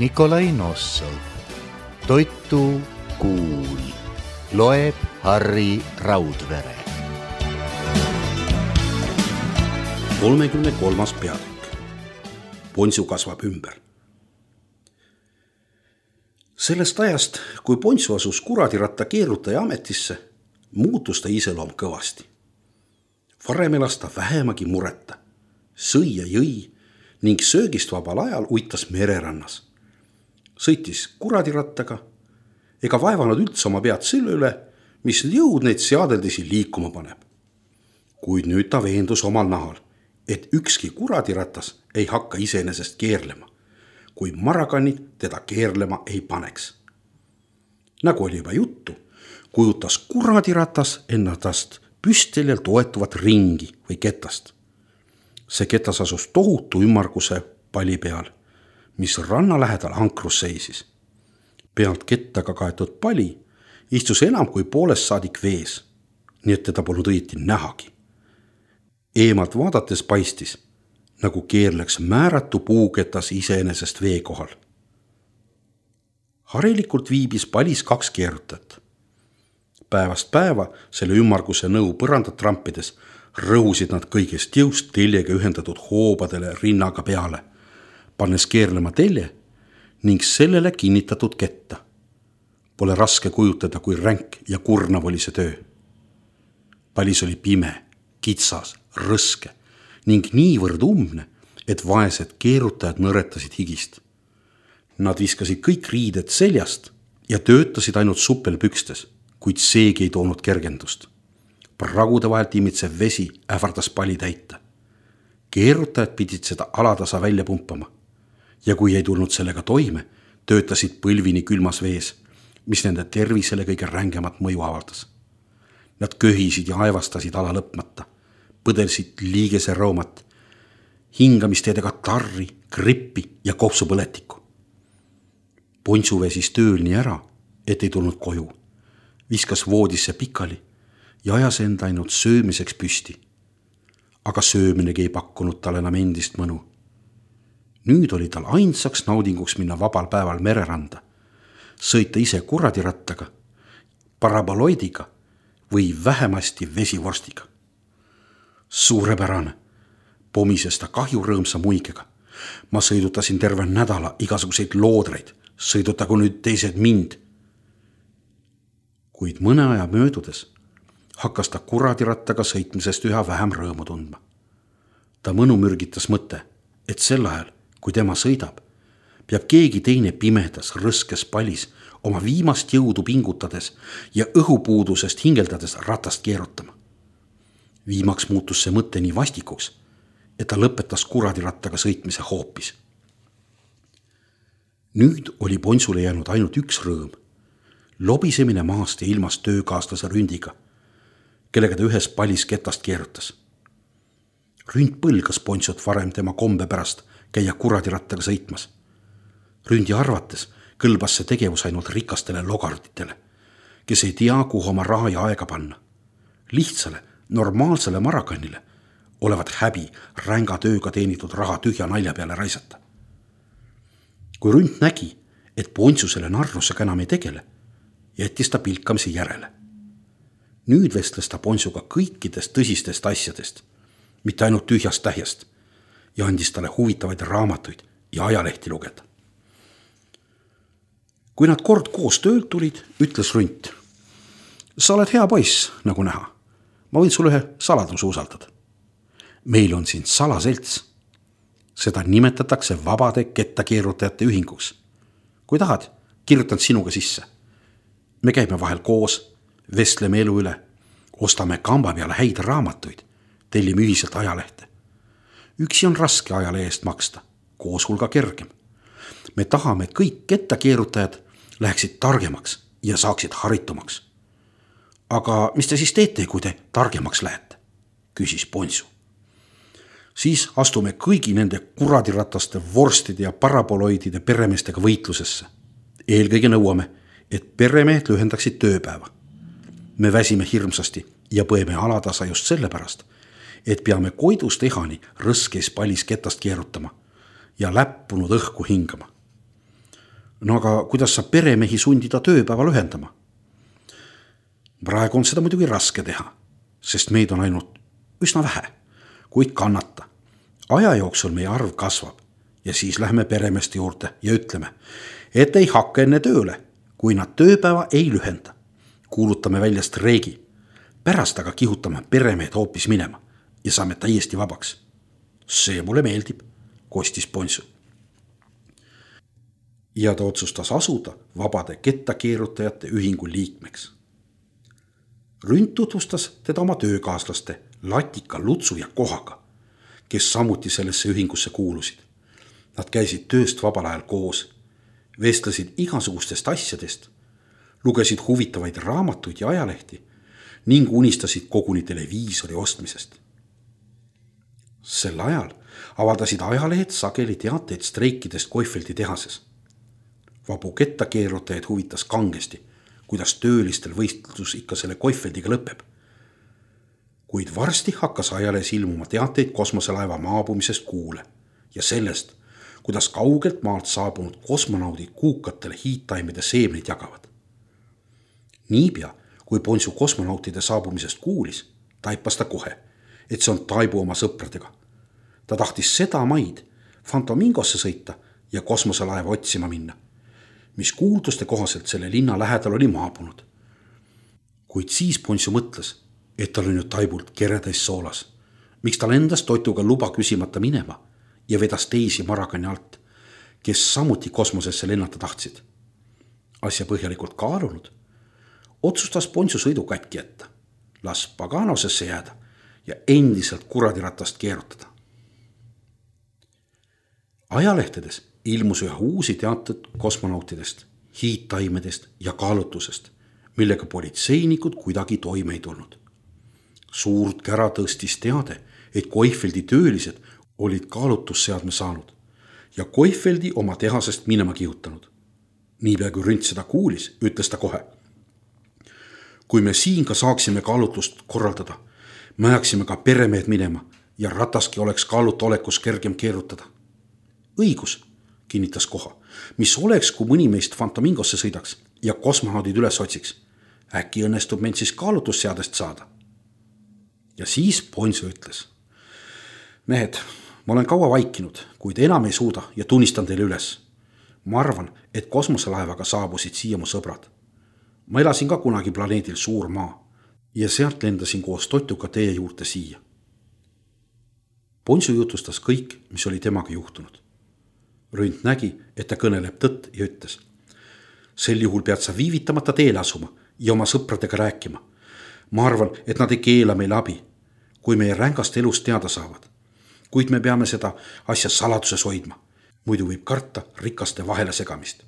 Nikolai Nossov. Toitu kuul. Loeb Harri Raudvere. 33. peatükk. Ponsu kasvab ümber. Sellest ajast, kui Ponsu asus kuradiratta keerutaja ametisse, muutus ta iseloom kõvasti. Varem elas ta vähemagi mureta, sõi ja jõi ning söögist vabal ajal uitas mererannas. Sõitis kuradirattaga ega vaevanud üldse oma pead selle üle, mis jõud neid seadeldisi liikuma paneb. Kuid nüüd ta veendus omal nahal, et ükski kuradiratas ei hakka iseenesest keerlema, kui marakannid teda keerlema ei paneks. Nagu oli juba juttu, kujutas kuradiratas ennast püsteljel toetuvat ringi või ketast. See ketas asus tohutu ümmarguse pali peal, mis ranna lähedal ankrus seisis. Pealt kettaga kaetud pali istus enam kui poolest saadik vees, nii et teda polnud õieti nähagi. Eemalt vaadates paistis, nagu keerleks määratu puuketas iseenesest vee kohal. Harilikult viibis palis 2 keerutajat. Päevast päeva selle ümmarguse nõu põrandat trampides rõhusid nad kõigest jõust teljega ühendatud hoobadele rinnaga peale, pannes keerlema telje ning sellele kinnitatud ketta. Pole raske kujutada, kui ränk ja kurnav oli see töö. Palis oli pime, kitsas, rõske ning niivõrd umbne, et vaesed keerutajad nõretasid higist. Nad viskasid kõik riided seljast ja töötasid ainult suppelpükstes, kuid seegi ei toonud kergendust. Pragude vahelt imitsev vesi ähvardas pali täita. Keerutajad pidid seda alatasa välja pumpama ja kui ei tulnud sellega toime, töötasid põlvini külmas vees, mis nende tervisele kõige rängemat mõju avaldas. Nad köhisid ja aevastasid ala lõpmata, põdelsid liigese roomat, hingamisteedega tarri, grippi ja kopsupõletikku. Ponsu vesis tööl nii ära, et ei tulnud koju, viskas voodisse pikali ja ajas enda ainult söömiseks püsti. Aga sööminegi ei pakkunud tal enam endist mõnu. Nüüd oli tal ainsaks naudinguks minna vabal päeval mereranda, sõita ise kuradirattaga, paraboloidiga või vähemasti vesivorstiga. Suurepärane, pomises ta kahju rõõmsa muigega. Ma sõidutasin terve nädala igasuguseid loodreid, sõidutagu nüüd teised mind. Kuid mõne aja möödudes hakkas ta kuradirattaga sõitmisest üha vähem rõõmu tundma. Ta mõnu mürgitas mõte, et sel ajal, kui tema sõidab, peab keegi teine pimedas, rõskes palis oma viimast jõudu pingutades ja õhupuudusest hingeldades ratast keerutama. Viimaks muutus see mõte nii vastikuks, et ta lõpetas kuradirattaga sõitmise hoopis. Nüüd oli Ponsule jäänud ainult üks rõõm, lobisemine maast ja ilmast töökaaslase Ründiga, kellega ta ühes palis ketast keerutas. Ründ põlgas Ponsut varem tema kombe pärast käia kuradirattaga sõitmas. Ründi arvates kõlbas see tegevus ainult rikastele logarditele, kes ei tea, kuhu oma raha ja aega panna. Lihtsale, normaalsele marakannile olevat häbi ränga tööga teenitud raha tühja nalja peale raisata. Kui Ründ nägi, et Ponsu selle narrusega enam ei tegele, jättis ta pilkamise järele. Nüüd vestles ta Ponsuga kõikidest tõsistest asjadest, mitte ainult tühjast tähjast, ja andis talle huvitavaid raamatuid ja ajalehti lugeda. Kui nad kord koos töölt tulid, ütles Ründ: sa oled hea poiss, nagu näha. Ma võin sulle ühe saladuse usaldada. Meil on siin salaselts. Seda nimetatakse vabade kettakeerutajate ühinguks. Kui tahad, kirjutan sinuga sisse. Me käime vahel koos, vestleme elu üle, ostame kamba peale häid raamatuid, tellime ühiselt ajalehte. Üksi on raske ajale eest maksta, koos hulga kergem. Me tahame, et kõik kettakeerutajad läheksid targemaks ja saaksid haritumaks. Aga mis te siis teete, kui te targemaks lähete? Küsis Ponsu. Siis astume kõigi nende kuradirataste, vorstide ja paraboloidide peremeestega võitlusesse. Eelkõige nõuame, et peremehed lühendaksid tööpäeva. Me väsime hirmsasti ja põeme alatasa just sellepärast, et peame koidust ehani rõskes palis ketast keerutama ja läppunud õhku hingama. No aga kuidas saab peremehi sundida tööpäeva lühendama? Praegu on seda muidugi raske teha, sest meid on ainult üsna vähe, kuid kannata. Aja jooksul meie arv kasvab ja siis lähme peremeeste juurde ja ütleme, et ei hakka enne tööle, kui nad tööpäeva ei lühenda. Kuulutame välja streigi. Pärast aga kihutame peremehed hoopis minema ja saame täiesti vabaks. See mulle meeldib, kostis Ponsu. Ja ta otsustas asuda vabade kettakeerutajate ühingu liikmeks. Rünt tutvustas teda oma töökaaslaste Latika, Lutsu ja Kohaga, kes samuti sellesse ühingusse kuulusid. Nad käisid tööst vabal ajal koos, vestlesid igasugustest asjadest, lugesid huvitavaid raamatuid ja ajalehti ning unistasid koguni televiisori ostmisest. Sel ajal avaldasid ajalehed sageli teateid streikidest Koifeldi tehases. Vabu kettakeerutajaid huvitas kangesti, kuidas töölistel võistlus ikka selle Koifeldiga lõpeb. Kuid varsti hakkas ajalehes ilmuma teateid kosmoselaeva maabumisest Kuule ja sellest, kuidas kaugelt maalt saabunud kosmonaudid kuukatele hiidtaimede seemneid jagavad. Niipea, kui Ponsu kosmonautide saabumisest kuulis, taipas ta kohe, et see on Taibu oma sõpradega. Ta tahtis seda maid Fantomingosse sõita ja kosmoselaeva otsima minna, mis kuulduste kohaselt selle linna lähedal oli maabunud. Kuid siis Ponsu mõtles, et tal on ju Taibult keretäis soolas. Miks tal endast toituga luba küsimata minema ja vedas teisi Marakani alt, kes samuti kosmosesse lennata tahtsid. Asja põhjalikult kaalunud, otsustas Ponsu sõidu katki jätta, las Paganosesse jääda ja endiselt kuradiratast keerutada. Ajalehtedes ilmus üha uusi teateid kosmonautidest, hiidtaimedest ja kaalutusest, millega politseinikud kuidagi toime ei tulnud. Suurt kära tõstis teade, et Koifeldi töölised olid kaalutusseadme saanud ja Koifeldi oma tehasest minema kihutanud. Niipea kui Rünt seda kuulis, ütles ta kohe. Kui me siin ka saaksime kaalutlust korraldada, me ajaksime ka peremehed minema ja rataski oleks kaaluta olekus kergem keerutada. Õigus, kinnitas Koha, mis oleks, kui mõni meist Fantomingosse sõidaks ja kosmonaudid üles otsiks. Äkki õnnestub meid siis kaalutusseadest saada. Ja siis Ponsu ütles. Mehed, ma olen kaua vaikinud, kuid enam ei suuda ja tunnistan teile üles. Ma arvan, et kosmoselaevaga saabusid siia mu sõbrad. Ma elasin ka kunagi planeedil Suur Maa ja sealt lendasin koos Totuga teie juurde siia. Ponsu jutustas kõik, mis oli temaga juhtunud. Rünt nägi, et ta kõneleb tõtt ja ütles. Sel juhul pead sa viivitamata teele asuma ja oma sõpradega rääkima. Ma arvan, et nad ei keela meile abi, kui meie rängast elust teada saavad. Kuid me peame seda asja saladuses hoidma. Muidu võib karta rikaste vahele segamist.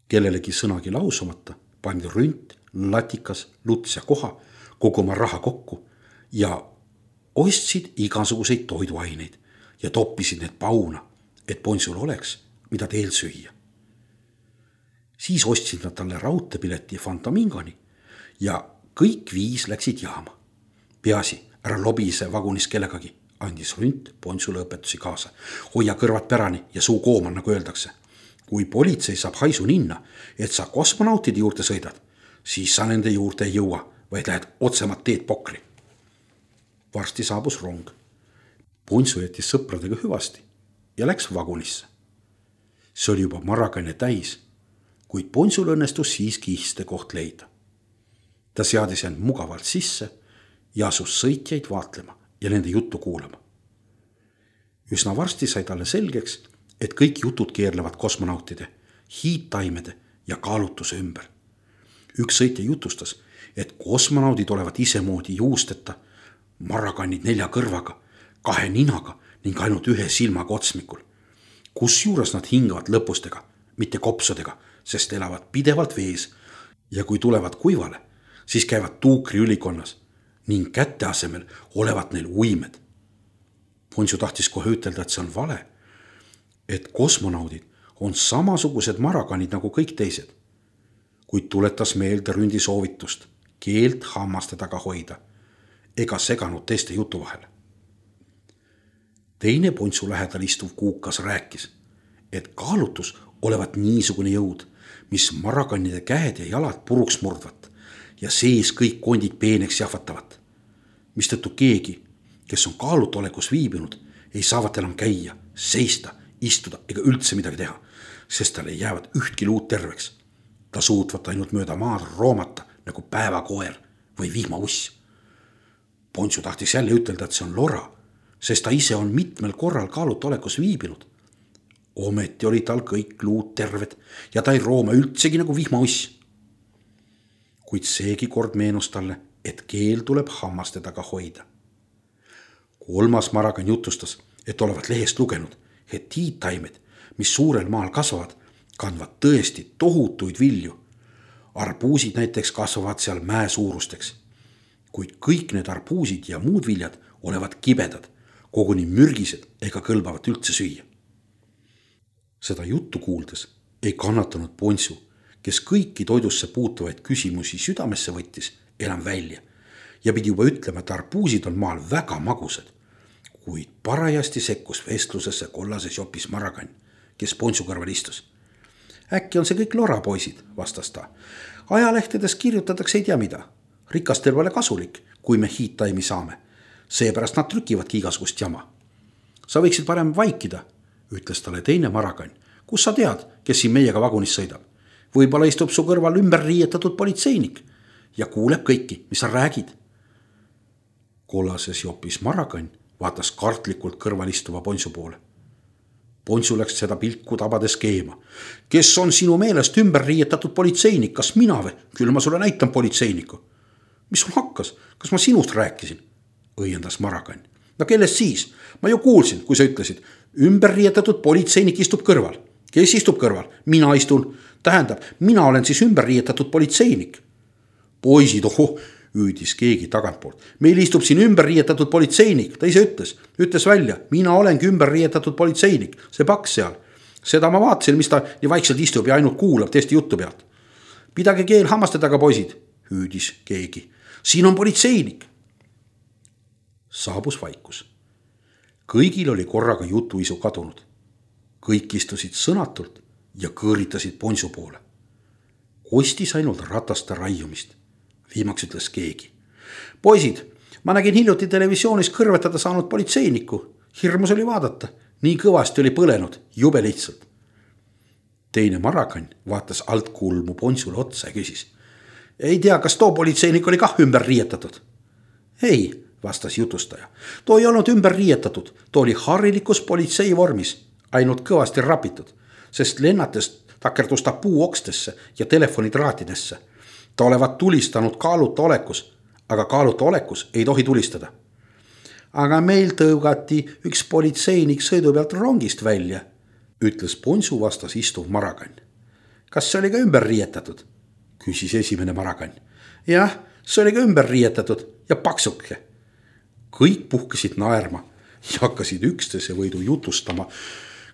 Kellelegi sõnagi lausumata pandi Rünt, Latikas, Luts ja Koha koguma raha kokku ja ostsid igasuguseid toiduaineid ja toppisid need pauna, et Ponsul oleks, mida teel süüa. Siis ostsid nad talle raudteepileti Fantomingoni ja kõik 5 läksid jaama. Peasi, ära lobise vagunis kellegagi, andis Rünt Ponsule õpetusi kaasa. Hoia kõrvad pärani ja suu kooman, nagu öeldakse. Kui politsei saab haisu ninna, et sa kosmonautide juurde sõidad, siis sa nende juurde ei jõua, vaid lähed otsemat teed pokri. Varsti saabus rong. Ponsu jättis sõpradega hüvasti ja läks vagunisse. See oli juba Marakane täis, kuid Ponsul õnnestus siiski istekoht leida. Ta seadis end mugavalt sisse ja asus sõitjaid vaatlema ja nende juttu kuulama. Üsna varsti sai talle selgeks, et kõik jutud keerlevad kosmonautide, hiidtaimede ja kaalutuse ümber. Üks sõitja jutustas, et kosmonaudid olevat isemoodi juusteta, Marakanid 4 kõrvaga, 2 ninaga ning ainult 1 silmaga otsmikul. Kusjuures nad hingavad lõpustega, mitte kopsudega, sest elavad pidevalt vees ja kui tulevad kuivale, siis käivad tuukri ülikonnas ning kätte asemel olevat neil uimed. Ponsu tahtis kohe ütelda, et see on vale, et kosmonaudid on samasugused Marakanid nagu kõik teised, kuid tuletas meelde Ründi soovitust keelt hammaste taga hoida ega seganud teiste jutu vahele. Teine Ponsu lähedal istuv kuukas rääkis, et kaalutus olevat niisugune jõud, mis marakannide käed ja jalad puruks murdvat ja sees kõik kondid peeneks jahvatavat. Mistõttu keegi, kes on kaalutolekus viibinud, ei saavat enam käia, seista, istuda ega üldse midagi teha, sest tal ei jäävad ühtki luud terveks. Ta suutvat ainult mööda maad roomata nagu päevakoer või vihmauss. Ponsu tahtis jälle ütelda, et see on lora, sest ta ise on mitmel korral kaalutolekus viibinud. Ometi oli tal kõik luud terved ja ta ei rooma üldsegi nagu vihmauss. Kuid seegi kord meenus talle, et keel tuleb hammaste taga hoida. Kolmas marakan jutustas, et olevat lehest lugenud, et tiitaimed, mis suurel maal kasvavad, kandvad tõesti tohutuid vilju. Arbuusid näiteks kasvavad seal mäe suurusteks. Kuid kõik need arbuusid ja muud viljad olevat kibedad, koguni mürgised ega kõlbavat üldse süüa. Seda juttu kuuldes ei kannatanud Ponsu, kes kõiki toidusse puutuvaid küsimusi südamesse võttis, enam välja ja pidi juba ütlema, et arbuusid on maal väga magusad, kuid parajasti sekkus vestlusesse kollases jopis marakan, kes Ponsu kõrval istus. Äkki on see kõik lora, poisid, vastas ta. Ajalehtedes kirjutatakse ei tea mida. Rikastel pole kasulik, kui me hiittaimi saame. Seepärast nad trükivadki igasugust jama. Sa võiksid parem vaikida, ütles talle teine marakan. Kus sa tead, kes siin meiega vagunis sõidab? Võib-olla istub su kõrval ümber riietatud politseinik ja kuuleb kõiki, mis sa räägid. Kollases jopis marakan vaatas kartlikult kõrval istuva Ponsu poole. Ponsu läks seda pilku tabades keema. Kes on sinu meelest ümber riietatud politseinik? Kas mina või? Küll ma sulle näitan politseiniku. Mis sul hakkas? Kas ma sinust rääkisin? Õiendas marakan. No kellest siis? Ma ju kuulsin, kui sa ütlesid. Ümber riietatud politseinik istub kõrval. Kes istub kõrval? Mina istun. Tähendab, mina olen siis ümber riietatud politseinik. Poisid, hüüdis keegi tagantpoolt. Meil istub siin ümber riietatud politseinik. Ta ise ütles välja. Mina olengi ümber riietatud politseinik. See paks seal. Seda ma vaatasin, mis ta nii vaikselt istub ja ainult kuulab teiste juttu pealt. Pidage keel hammaste taga, poisid, hüüdis keegi. Siin on politseinik. Saabus vaikus. Kõigil oli korraga jutuisu kadunud. Kõik istusid sõnatult ja kõõritasid Ponsu poole. Kostis ainult rataste raiumist. Viimaks ütles keegi. Poisid, ma nägin hiljuti televisioonis kõrvetada saanud politseiniku. Hirmus oli vaadata. Nii kõvasti oli põlenud, jube lihtsalt. Teine marakan vaatas altkulmu Ponsule otsa ja küsis. Ei tea, kas too politseinik oli kah ümber riietatud? Ei, vastas jutustaja. Too ei olnud ümber riietatud. Too oli harilikus politsei vormis, ainult kõvasti rapitud, sest lennates takerdus ta puuokstesse ja telefonitraatidesse. Ta olevat tulistanud kaaluta olekus, aga kaaluta olekus ei tohi tulistada. Aga meil tõugati üks politseinik sõidu pealt rongist välja, ütles Ponsu vastas istuv marakan. Kas see oli ka ümber riietatud? Küsis esimene marakan. Jah, see oli ka ümber riietatud ja paksuke. Kõik puhkesid naerma ja hakkasid üksteise võidu jutustama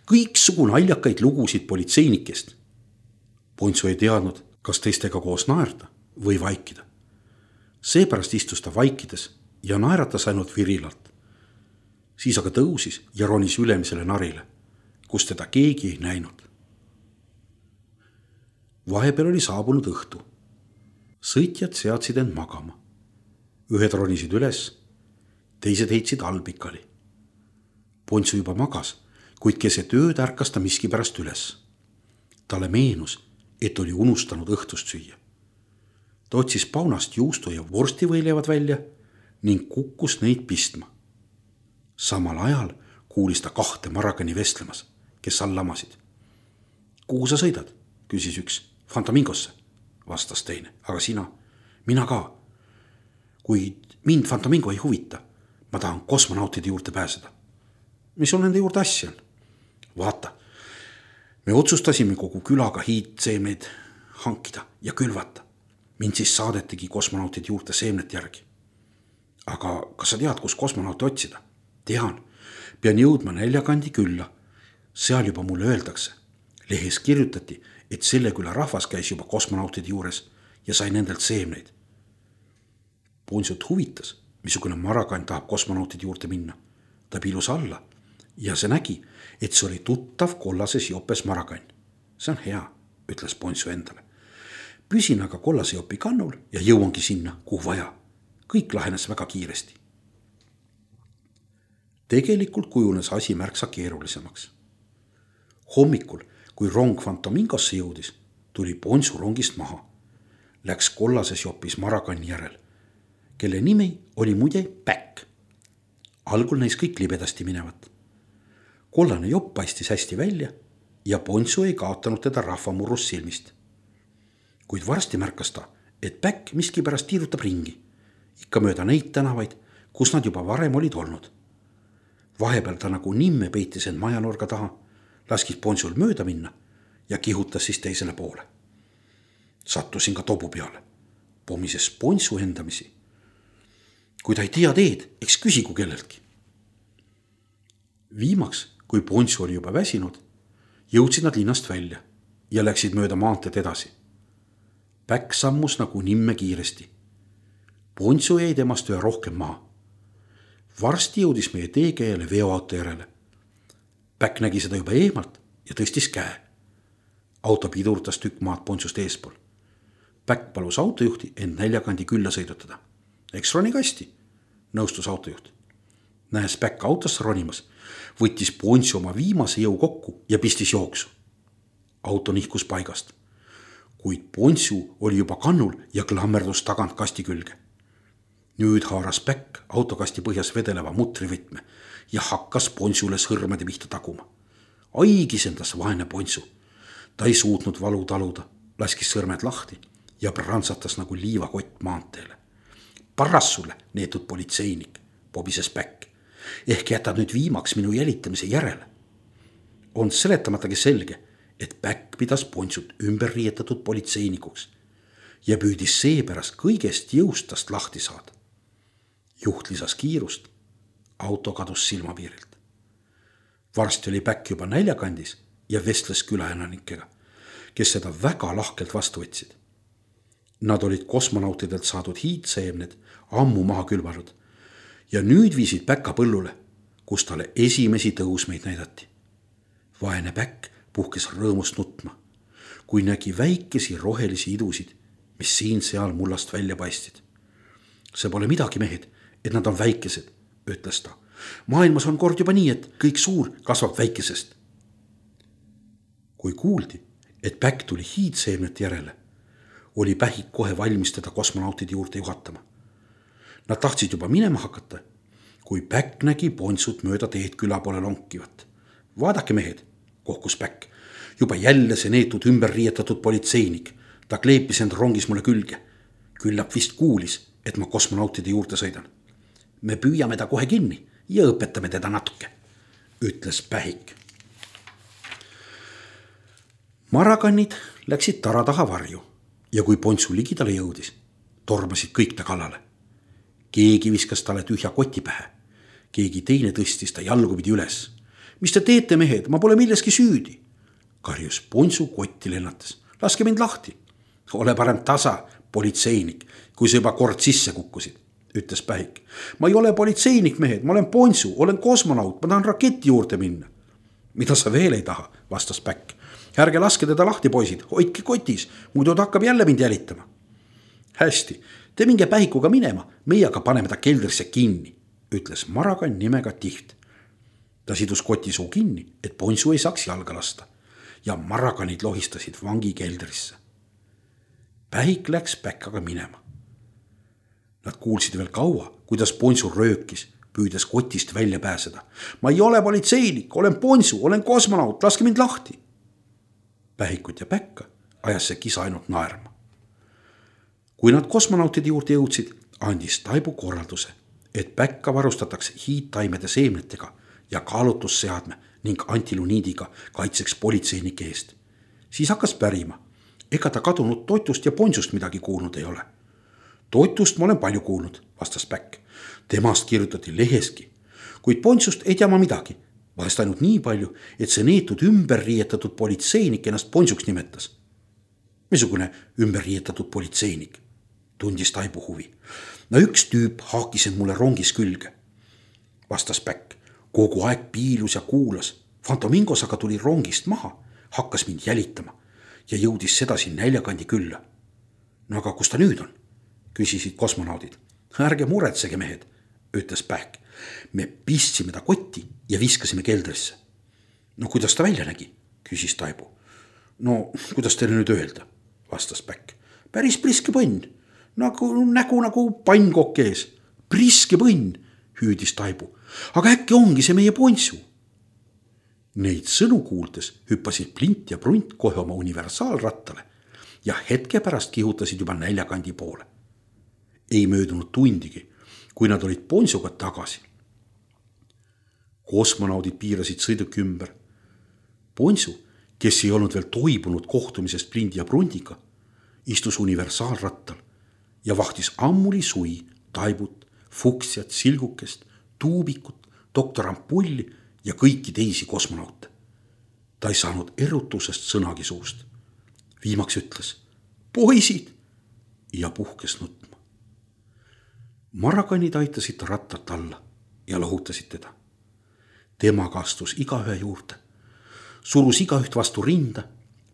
kõiksugu naljakaid lugusid politseinikest. Ponsu ei teadnud, kas teistega koos naerda või vaikida. Seepärast istus ta vaikides ja naeratas ainult virilalt. Siis aga tõusis ja ronis ülemisele narile, kus teda keegi ei näinud. Vahepeal oli saabunud õhtu. Sõitjad seadsid end magama. Ühed ronisid üles, teised heitsid allpikali. Ponsu juba magas, kuid keset ööd ärkas ta miski pärast üles. Talle meenus, et oli unustanud õhtust süüa. Ta otsis paunast juustu ja vorstivõilevad välja ning kukkus neid pistma. Samal ajal kuulis ta kahte marakani vestlemas, kes all lamasid. Kuhu sa sõidad? Küsis üks. Fantamingosse, vastas teine. Aga sina? Mina ka. Kuid mind Fantamingo ei huvita. Ma tahan kosmonautide juurde pääseda. Mis sul nende juurde asja on? Vaata, me otsustasime kogu külaga hiidseemneid hankida ja külvata. Mind siis saadetigi kosmonautide juurde seemnet järgi. Aga kas sa tead, kus kosmonauti otsida? Tean, pean jõudma Näljakandi külla. Seal juba mulle öeldakse. Lehes kirjutati, et selle küla rahvas käis juba kosmonautide juures ja sai nendelt seemneid. Ponsut huvitas, missugune marakan tahab kosmonautide juurde minna. Ta pilus alla ja see nägi, et see oli tuttav kollases jopes marakan. see on hea, ütles Ponsu endale. Püsin aga kollase jopi kannul ja jõuangi sinna, kuhu vaja. Kõik lahenes väga kiiresti. Tegelikult kujunes asi märksa keerulisemaks. Hommikul, kui rong Fantomingosse jõudis, tuli Ponsu rongist maha. Läks kollases jopis Marakanni järel, kelle nimi oli muide Päkk. Algul näis kõik libedasti minevat. Kollane jopp paistis hästi välja ja Ponsu ei kaotanud teda rahvamurrus silmist. Kuid varsti märkas ta, et Päkk miskipärast tiirutab ringi, ikka mööda neid tänavaid, kus nad juba varem olid olnud. Vahepeal ta nagu nimme peitis end majanurga taha, laskis Ponsul mööda minna ja kihutas siis teisele poole. Sattusin ka tobu peale, pomises Ponsu endamisi. Kui ta ei tea teed, eks küsigu kelleltki. Viimaks, kui Ponsu oli juba väsinud, jõudsid nad linnast välja ja läksid mööda maanteed edasi. Päkk sammus nagu nimme kiiresti. Ponsu jäi temast üha rohkem maha. Varsti jõudis meie teekäele veoauto järele. Päkk nägi seda juba eemalt ja tõstis käe. Auto pidurtas tükk maad Ponsust eespool. Päkk palus autojuhti end näljakandi külla sõidutada. Eks roni kasti, nõustus autojuht. Nähes Päkk autosse ronimas, võttis Ponsu oma viimase jõu kokku ja pistis jooksu. Auto nihkus paigast, kuid Ponsu oli juba kannul ja klammerdus tagant kasti külge. Nüüd haaras Päkk autokasti põhjas vedeleva mutrivõtme ja hakkas Ponsule sõrmede pihta taguma. Aigisendas vaene Ponsu. Ta ei suutnud valu taluda, laskis sõrmed lahti ja prantsatas nagu liivakott maanteele. Parras sulle, neetud politseinik, pobises Päkk. Ehk jätad nüüd viimaks minu jälitamise järele. On seletamatagi selge, et Päkk pidas Ponsut ümber riietatud politseinikuks ja püüdis seepärast kõigest jõustast lahti saada. Juht lisas kiirust, auto kadus silmapiirilt. Varsti oli Päkk juba näljakandis ja vestles külaelanikega, kes seda väga lahkelt vastu võtsid. Nad olid kosmonautidelt saadud hiidseemned ammu maha külvanud ja nüüd viisid Päkka põllule, kus talle esimesi tõusmeid näidati. Vaene Päkk puhkes rõõmust nutma, kui nägi väikesi rohelisi idusid, mis siin-seal mullast välja paistid. See pole midagi, mehed, et nad on väikesed, ütles ta. Maailmas on kord juba nii, et kõik suur kasvab väikesest. Kui kuuldi, et Päkk tuli hiidseemnet järele, oli Pähik kohe valmis teda kosmonautide juurde juhatama. Nad tahtsid juba minema hakata, kui Päkk nägi Ponsut mööda teed küla poole lonkivat. Vaadake, mehed, kohkus Päkk. Juba jälle see neetud ümber riietatud politseinik. Ta kleepis end rongis mulle külge. Küllap vist kuulis, et ma kosmonautide juurde sõidan. Me püüame ta kohe kinni ja õpetame teda natuke, ütles Pähik. Marakannid läksid tara taha varju ja kui Ponsu ligidale jõudis, tormasid kõik ta kallale. Keegi viskas talle tühja koti pähe. Keegi teine tõstis ta jalgupidi üles. Mis te teete, mehed, ma pole milleski süüdi, karjus Ponsu kotti lennates. Laske mind lahti. Ole parem tasa, politseinik, kui sa juba kord sisse kukkusid, ütles Pähik. Ma ei ole politseinik, mehed, ma olen Ponsu, olen kosmonaut, ma tahan raketi juurde minna. Mida sa veel ei taha, vastas Päkk. Ärge laske teda lahti, poisid, hoidke kotis, muidu ta hakkab jälle mind jälitama. Hästi, te minge Pähikuga minema, meie aga paneme ta keldrisse kinni, ütles Marakann nimega Tiht. Ta sidus koti suu kinni, et Ponsu ei saaks jalga lasta ja Marakanid lohistasid vangi keldrisse. Pähik läks Päkkaga minema. Nad kuulsid veel kaua, kuidas Ponsu röökis, püüdes kotist välja pääseda. Ma ei ole politseinik, olen Ponsu, olen kosmonaut, laske mind lahti. Pähikut ja Päkka ajas see kisa ainult naerma. Kui nad kosmonautide juurde jõudsid, andis Taibu korralduse, et Päkka varustatakse hiidtaimede seemnetega ja kaalutusseadme ning antiluniidiga kaitseks politseinike eest. Siis hakkas pärima, ega ta kadunud Totust ja Ponsust midagi kuulnud ei ole. Totust ma olen palju kuulnud, vastas Päkk. Temast kirjutati leheski, kuid Ponsust ei tea ma midagi. Vahest ainult nii palju, et see neetud ümberriietatud politseinik ennast Ponsuks nimetas. Missugune ümberriietatud politseinik? Tundis Taibu huvi. No üks tüüp haakis end mulle rongis külge, vastas Päkk. Kogu aeg piilus ja kuulas. Fantomingos aga tuli rongist maha, hakkas mind jälitama ja jõudis sedasi näljakandi külla. No aga kus ta nüüd on? Küsisid kosmonaudid. Ärge muretsege, mehed, ütles Pähk. Me pistsime ta kotti ja viskasime keldrisse. No kuidas ta välja nägi? Küsis Taibu. No kuidas teile nüüd öelda? Vastas Pähk. Päris priske põnn, nägu nagu pannkokk ees. Priske põnn, hüüdis Taibu. Aga äkki ongi see meie Ponsu? Neid sõnu kuuldes hüppasid Plint ja Prunt kohe oma universaalrattale ja hetke pärast kihutasid juba näljakandi poole. Ei möödunud tundigi, kui nad olid Ponsuga tagasi. Kosmonaudid piirasid sõiduki ümber. Ponsu, kes ei olnud veel toibunud kohtumisest Plindi ja Prundiga, istus universaalrattal ja vahtis ammuli sui Taibut, Fuksiat, Silgukest, Tuubikut, doktor Ampulli ja kõiki teisi kosmonaute. Ta ei saanud erutusest sõnagi suust. Viimaks ütles, poisid, ja puhkes nutma. Marakanid aitasid ta rattat alla ja lohutasid teda. Tema kastus igaühe juurde, surus igaüht vastu rinda,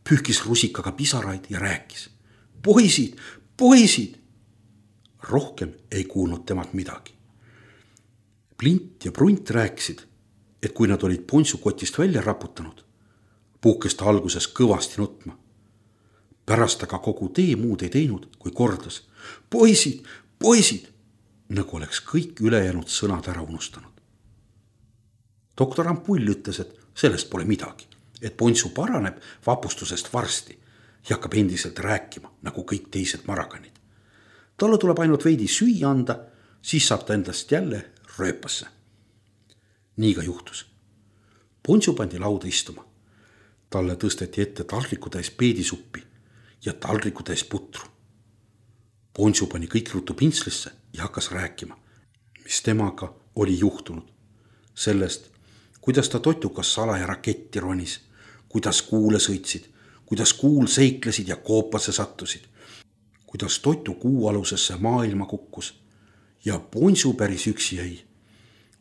pühkis rusikaga pisaraid ja rääkis. Poisid, poisid! Rohkem ei kuulnud temalt midagi. Plint ja Prunt rääkisid, et kui nad olid Ponsu kotist välja raputanud, puhkes ta alguses kõvasti nutma. Pärast aga kogu tee muud ei teinud, kui kordas. Poisid, poisid! Nagu oleks kõik ülejäänud sõnad ära unustanud. Doktor Ampull ütles, et sellest pole midagi, et Ponsu paraneb vapustusest varsti ja hakkab endiselt rääkima, nagu kõik teised marakanid. Talle tuleb ainult veidi süüa anda, siis saab ta endast jälle rööpasse. Nii ka juhtus. Ponsu pandi lauda istuma. Talle tõsteti ette taldriku täis peedisuppi ja taldriku täis putru. Ponsu pani kõik ruttu pintslisse ja hakkas rääkima, mis temaga oli juhtunud. Sellest, kuidas ta totukas salaja raketti ronis, kuidas kuule sõitsid, kuidas kuul seiklesid ja koopasse sattusid, kuidas totu kuu alusesse maailma kukkus ja Ponsu päris üksi jäi,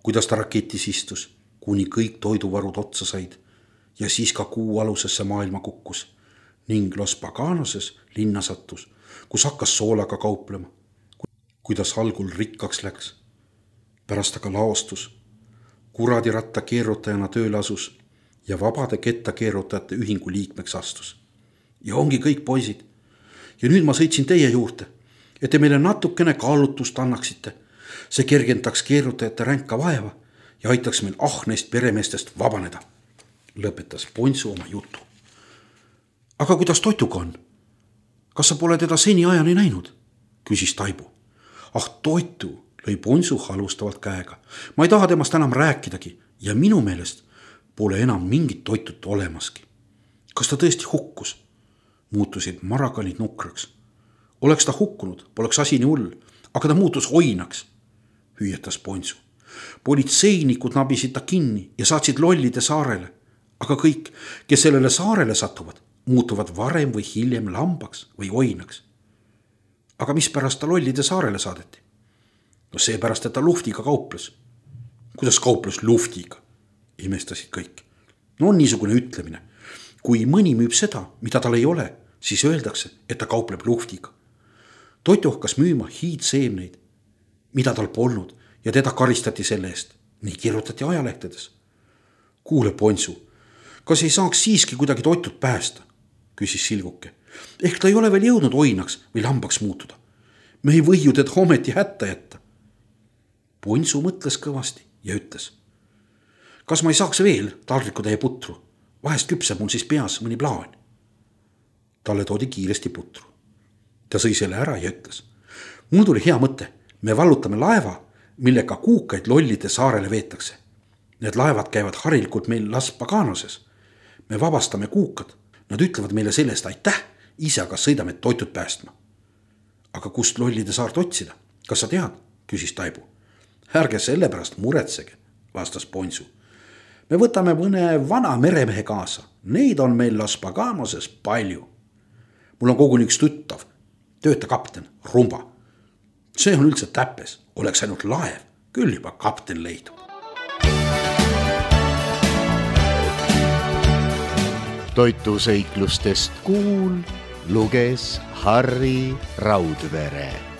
kuidas ta raketis istus, kuni kõik toiduvarud otsa said ja siis ka kuu alusesse maailma kukkus ning Los Paganoses linna sattus, kus hakkas soolaga kauplema, kuidas algul rikkaks läks, pärast aga laostus, kuradiratta keerutajana tööle asus ja vabade kettakeerutajate ühingu liikmeks astus. Ja ongi kõik poisid. Ja nüüd ma sõitsin teie juurde, et te meile natukene kaalutust annaksite. See kergendaks keerutajate ränka vaeva ja aitaks meil ahneist peremeestest vabaneda, lõpetas Ponsu oma jutu. Aga kuidas Totuga on? Kas sa pole teda seni ajani näinud? Küsis Taibu. Ah, Totu, lõi Ponsu halustavalt käega. Ma ei taha temast enam rääkidagi ja minu meelest pole enam mingit Totut olemaski. Kas ta tõesti hukkus? Muutusid marakanid nukraks. Oleks ta hukkunud, poleks asi nii hull, aga ta muutus oinaks, hüüetas Ponsu. Politseinikud nabisid ta kinni ja saatsid Lollide saarele, aga kõik, kes sellele saarele satuvad, muutuvad varem või hiljem lambaks või oinaks. Aga mis pärast ta Lollide saarele saadeti? No seepärast, et ta luftiga kauples. Kuidas kauples luftiga? Imestasid kõik. No on niisugune ütlemine. Kui mõni müüb seda, mida tal ei ole, siis öeldakse, et ta kaupleb luftiga. Totu hakkas müüma hiidseemneid, mida tal polnud ja teda karistati selle eest. Nii kirjutati ajalehtedes. Kuule, Ponsu, kas ei saaks siiski kuidagi Totut päästa? Küsis Silguke. Ehk ta ei ole veel jõudnud oinaks või lambaks muutuda. Me ei või ju teda ometi hätta jätta. Ponsu mõtles kõvasti ja ütles. Kas ma ei saaks veel taldrikutäie putru? Vahest küpseb mul siis peas mõni plaan. Talle toodi kiiresti putru. Ta sõi selle ära ja ütles. Mul tuli hea mõte. Me vallutame laeva, millega kuukaid Lollide saarele veetakse. Need laevad käivad harilikult meil Las Paganoses. Me vabastame kuukad. Nad ütlevad meile sellest aitäh, ise aga sõidame Totut päästma. Aga kust Lollide saart otsida? Kas sa tead? Küsis Taibu. Ärge selle pärast muretsege, vastas Ponsu. Me võtame mõne vana meremehe kaasa. Neid on meil Las Paganoses palju. Mul on koguni üks tuttav, töötakapten, Rumba. See on üldse täppes, oleks ainult laev, küll juba kapten leidub. toitusõiklustest kuul luges Harri Raudvere.